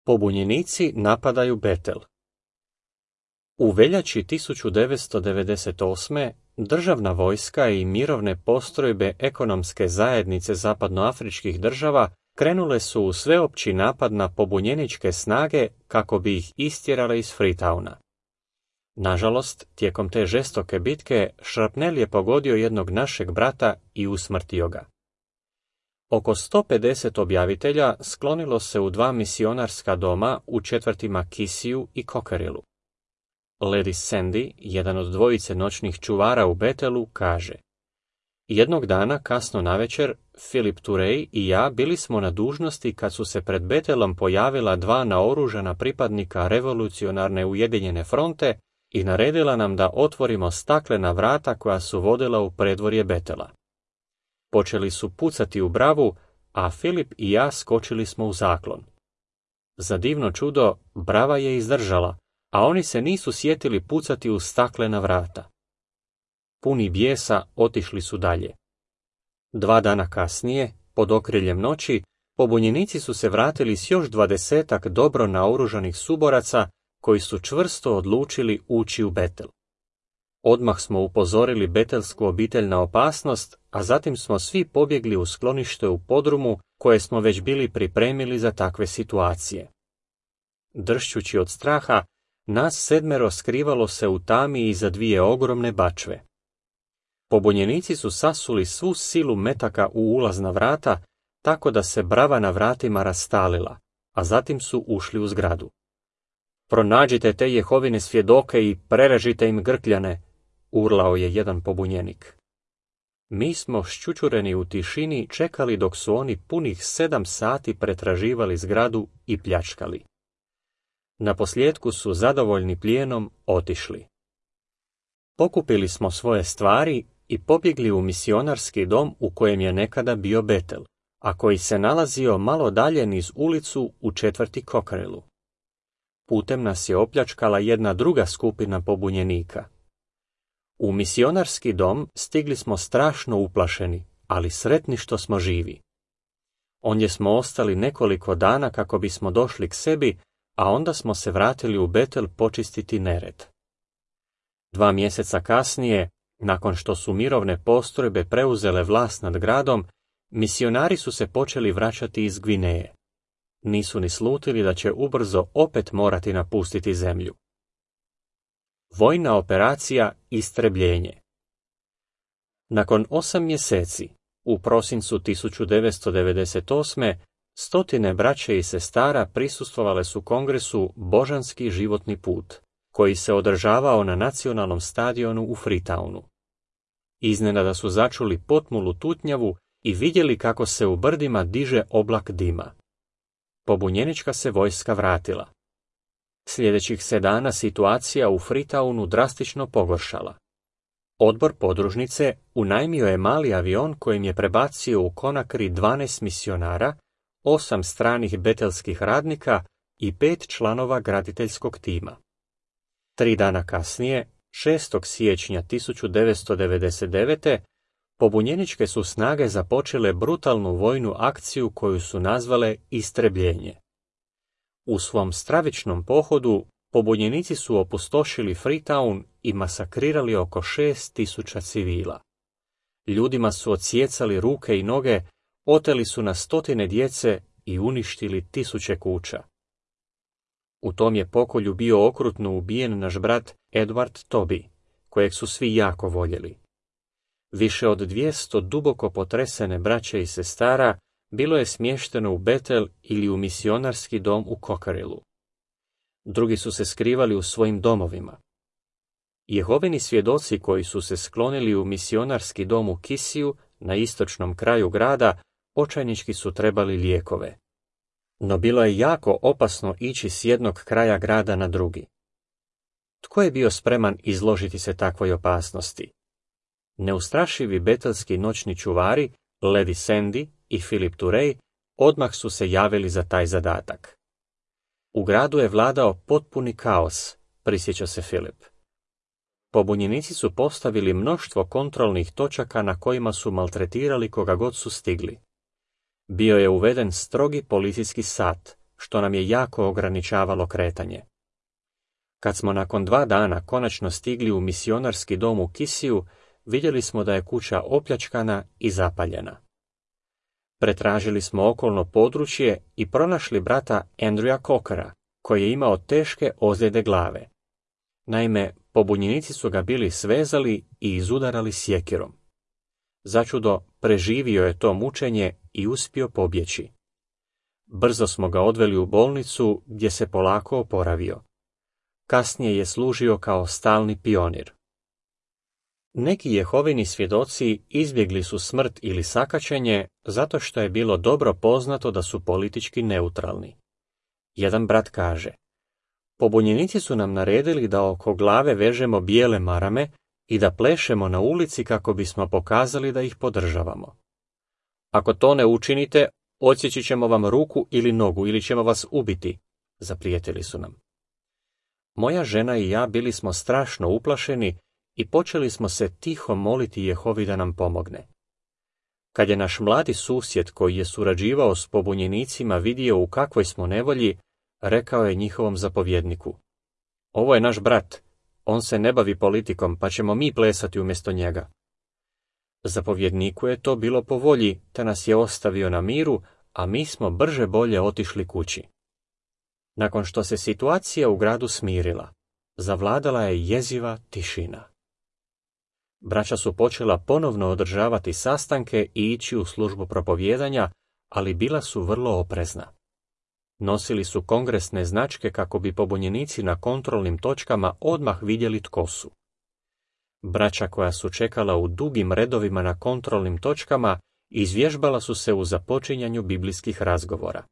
Pobunjenici napadaju Betel. U veljači 1998. državna vojska i mirovne postrojbe ekonomske zajednice zapadnoafričkih država krenule su u sveopći napad na pobunjeničke snage kako bi ih istjerale iz Freetowna. Nažalost, tijekom te žestoke bitke šrapnel je pogodio jednog našeg brata i usmrtio ga. Oko 150 objavitelja sklonilo se u 2 misionarska doma u četvrtima Kisiju i Kokerilu. Lady Sandy, jedan od dvojice noćnih čuvara u Betelu, kaže: jednog dana, kasno navečer, Philip Turey i ja bili smo na dužnosti kad su se pred Betelom pojavila 2 naoružana pripadnika revolucionarne Ujedinjene fronte i naredila nam da otvorimo staklena vrata koja su vodila u predvorje Betela. Počeli su pucati u bravu, a Filip i ja skočili smo u zaklon. Za divno čudo, brava je izdržala, a oni se nisu sjetili pucati u staklena vrata. Puni bijesa otišli su dalje. 2 dana kasnije, pod okriljem noći, pobunjenici su se vratili s još 20 dobro naoružanih suboraca koji su čvrsto odlučili ući u Betel. Odmah smo upozorili betelsku obitelj na opasnost, a zatim smo svi pobjegli u sklonište u podrumu koje smo već bili pripremili za takve situacije. Dršćući od straha, nas 7 skrivalo se u tami iza 2 ogromne bačve. Pobunjenici su sasuli svu silu metaka u ulazna vrata, tako da se brava na vratima rastalila, a zatim su ušli u zgradu. Pronađite te Jehovine svjedoke i prerežite im grkljane, urlao je jedan pobunjenik. Mi smo šćučureni u tišini čekali dok su oni punih 7 sati pretraživali zgradu i pljačkali. Naposljetku su zadovoljni plijenom otišli. Pokupili smo svoje stvari i pobjegli u misionarski dom u kojem je nekada bio Betel, a koji se nalazio malo dalje niz ulicu u četvrti Kokerilu. Putem nas je opljačkala jedna druga skupina pobunjenika. U misionarski dom stigli smo strašno uplašeni, ali sretni što smo živi. Ondje smo ostali nekoliko dana kako bismo došli k sebi, a onda smo se vratili u Betel počistiti nered. 2 mjeseca kasnije, nakon što su mirovne postrojbe preuzele vlast nad gradom, misionari su se počeli vraćati iz Gvineje. Nisu ni slutili da će ubrzo opet morati napustiti zemlju. Vojna operacija Istrebljenje. Nakon 8 mjeseci, u prosincu 1998. 100 braće i sestara prisustvovale su kongresu Božanski životni put, koji se održavao na nacionalnom stadionu u Freetownu. Iznenada su začuli potmulu tutnjavu i vidjeli kako se u brdima diže oblak dima. Pobunjenička se vojska vratila. Sljedećih 7 dana situacija u Freetownu drastično pogoršala. Odbor podružnice unajmio je mali avion kojim je prebacio u Konakry 12 misionara, 8 stranih betelskih radnika i 5 članova graditeljskog tima. 3 dana kasnije, 6. siječnja 1999. pobunjeničke su snage započele brutalnu vojnu akciju koju su nazvale Istrebljenje. U svom stravičnom pohodu pobunjenici su opustošili Freetown i masakrirali oko 6.000 civila. Ljudima su odsjecali ruke i noge, oteli su na 100 djece i uništili 1000 kuća. U tom je pokolju bio okrutno ubijen naš brat Edward Toby, kojeg su svi jako voljeli. Više od 200 duboko potresene braće i sestara bilo je smješteno u Betel ili u misionarski dom u Kokerilu. Drugi su se skrivali u svojim domovima. Jehovini svjedoci koji su se sklonili u misionarski dom u Kisiju, na istočnom kraju grada, očajnički su trebali lijekove. No bilo je jako opasno ići s jednog kraja grada na drugi. Tko je bio spreman izložiti se takvoj opasnosti? Neustrašivi betelski noćni čuvari, Lady Sandy i Philip Turey, odmah su se javili za taj zadatak. U gradu je vladao potpuni kaos, prisjeća se Philip. Pobunjenici su postavili mnoštvo kontrolnih točaka na kojima su maltretirali koga god su stigli. Bio je uveden strogi policijski sat, što nam je jako ograničavalo kretanje. Kad smo nakon 2 dana konačno stigli u misionarski dom u Kisiju, vidjeli smo da je kuća opljačkana i zapaljena. Pretražili smo okolno područje i pronašli brata Andrewa Cockera, koji je imao teške ozljede glave. Naime, pobunjenici su ga bili svezali i izudarali sjekirom. Začudo, preživio je to mučenje i uspio pobjeći. Brzo smo ga odveli u bolnicu gdje se polako oporavio. Kasnije je služio kao stalni pionir. Neki Jehovini svjedoci izbjegli su smrt ili sakaćenje zato što je bilo dobro poznato da su politički neutralni. Jedan brat kaže: pobunjenici su nam naredili da oko glave vežemo bijele marame i da plešemo na ulici kako bismo pokazali da ih podržavamo. Ako to ne učinite, odsjeći ćemo vam ruku ili nogu ili ćemo vas ubiti, zaprijetili su nam. Moja žena i ja bili smo strašno uplašeni i počeli smo se tiho moliti Jehovi da nam pomogne. Kad je naš mladi susjed koji je surađivao s pobunjenicima vidio u kakvoj smo nevolji, rekao je njihovom zapovjedniku: ovo je naš brat, on se ne bavi politikom, pa ćemo mi plesati umjesto njega. Zapovjedniku je to bilo po volji, te nas je ostavio na miru, a mi smo brže bolje otišli kući. Nakon što se situacija u gradu smirila, zavladala je jeziva tišina. Braća su počela ponovno održavati sastanke i ići u službu propovijedanja, ali bila su vrlo oprezna. Nosili su kongresne značke kako bi pobunjenici na kontrolnim točkama odmah vidjeli tko su. Braća koja su čekala u dugim redovima na kontrolnim točkama izvježbala su se u započinjanju biblijskih razgovora.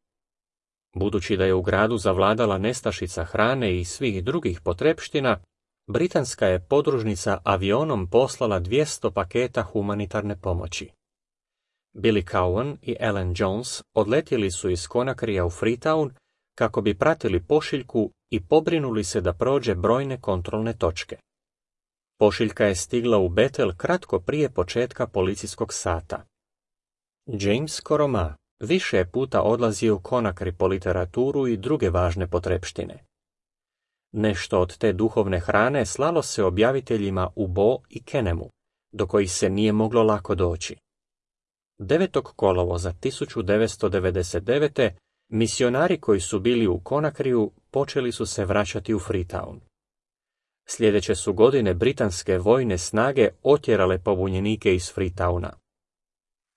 Budući da je u gradu zavladala nestašica hrane i svih drugih potrepština, britanska je podružnica avionom poslala 200 paketa humanitarne pomoći. Billy Cowan i Ellen Jones odletjeli su iz Conacrija u Freetown kako bi pratili pošiljku i pobrinuli se da prođe brojne kontrolne točke. Pošiljka je stigla u Bethel kratko prije početka policijskog sata. James Koroma više je puta odlazio u Conakry po literaturu i druge važne potrepštine. Nešto od te duhovne hrane slalo se objaviteljima u Bo i Kenemu, do kojih se nije moglo lako doći. 9. kolovoza 1999. misionari koji su bili u Conacriju počeli su se vraćati u Freetown. Sljedeće su godine britanske vojne snage otjerale pobunjenike iz Freetowna.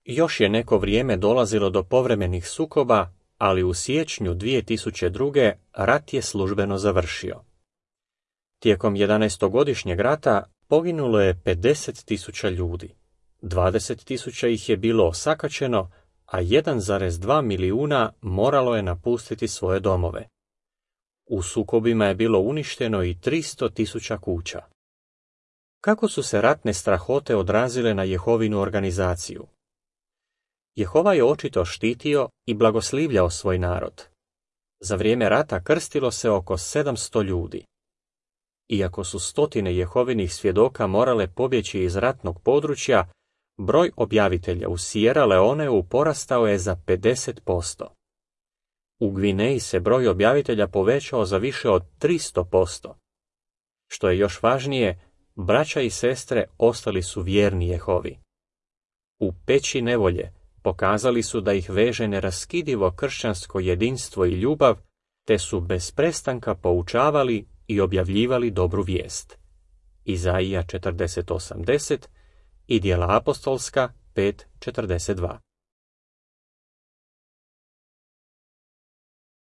Još je neko vrijeme dolazilo do povremenih sukoba, ali u siječnju 2002. rat je službeno završio. Tijekom 11-godišnjeg rata poginulo je 50.000 ljudi. 20.000 ih je bilo osakaćeno, a 1,2 milijuna moralo je napustiti svoje domove. U sukobima je bilo uništeno i 300.000 kuća. Kako su se ratne strahote odrazile na Jehovinu organizaciju? Jehova je očito štitio i blagoslivljao svoj narod. Za vrijeme rata krstilo se oko 700 ljudi. Iako su stotine Jehovinih svjedoka morale pobjeći iz ratnog područja, broj objavitelja u Sierra Leoneu porastao je za 50%. U Gvineji se broj objavitelja povećao za više od 300%. Što je još važnije, braća i sestre ostali su vjerni Jehovi. U peći nevolje pokazali su da ih veže neraskidivo kršćansko jedinstvo i ljubav, te su bez prestanka poučavali i objavljivali dobru vijest. Izaija 40:80 i Djela apostolska 5:42.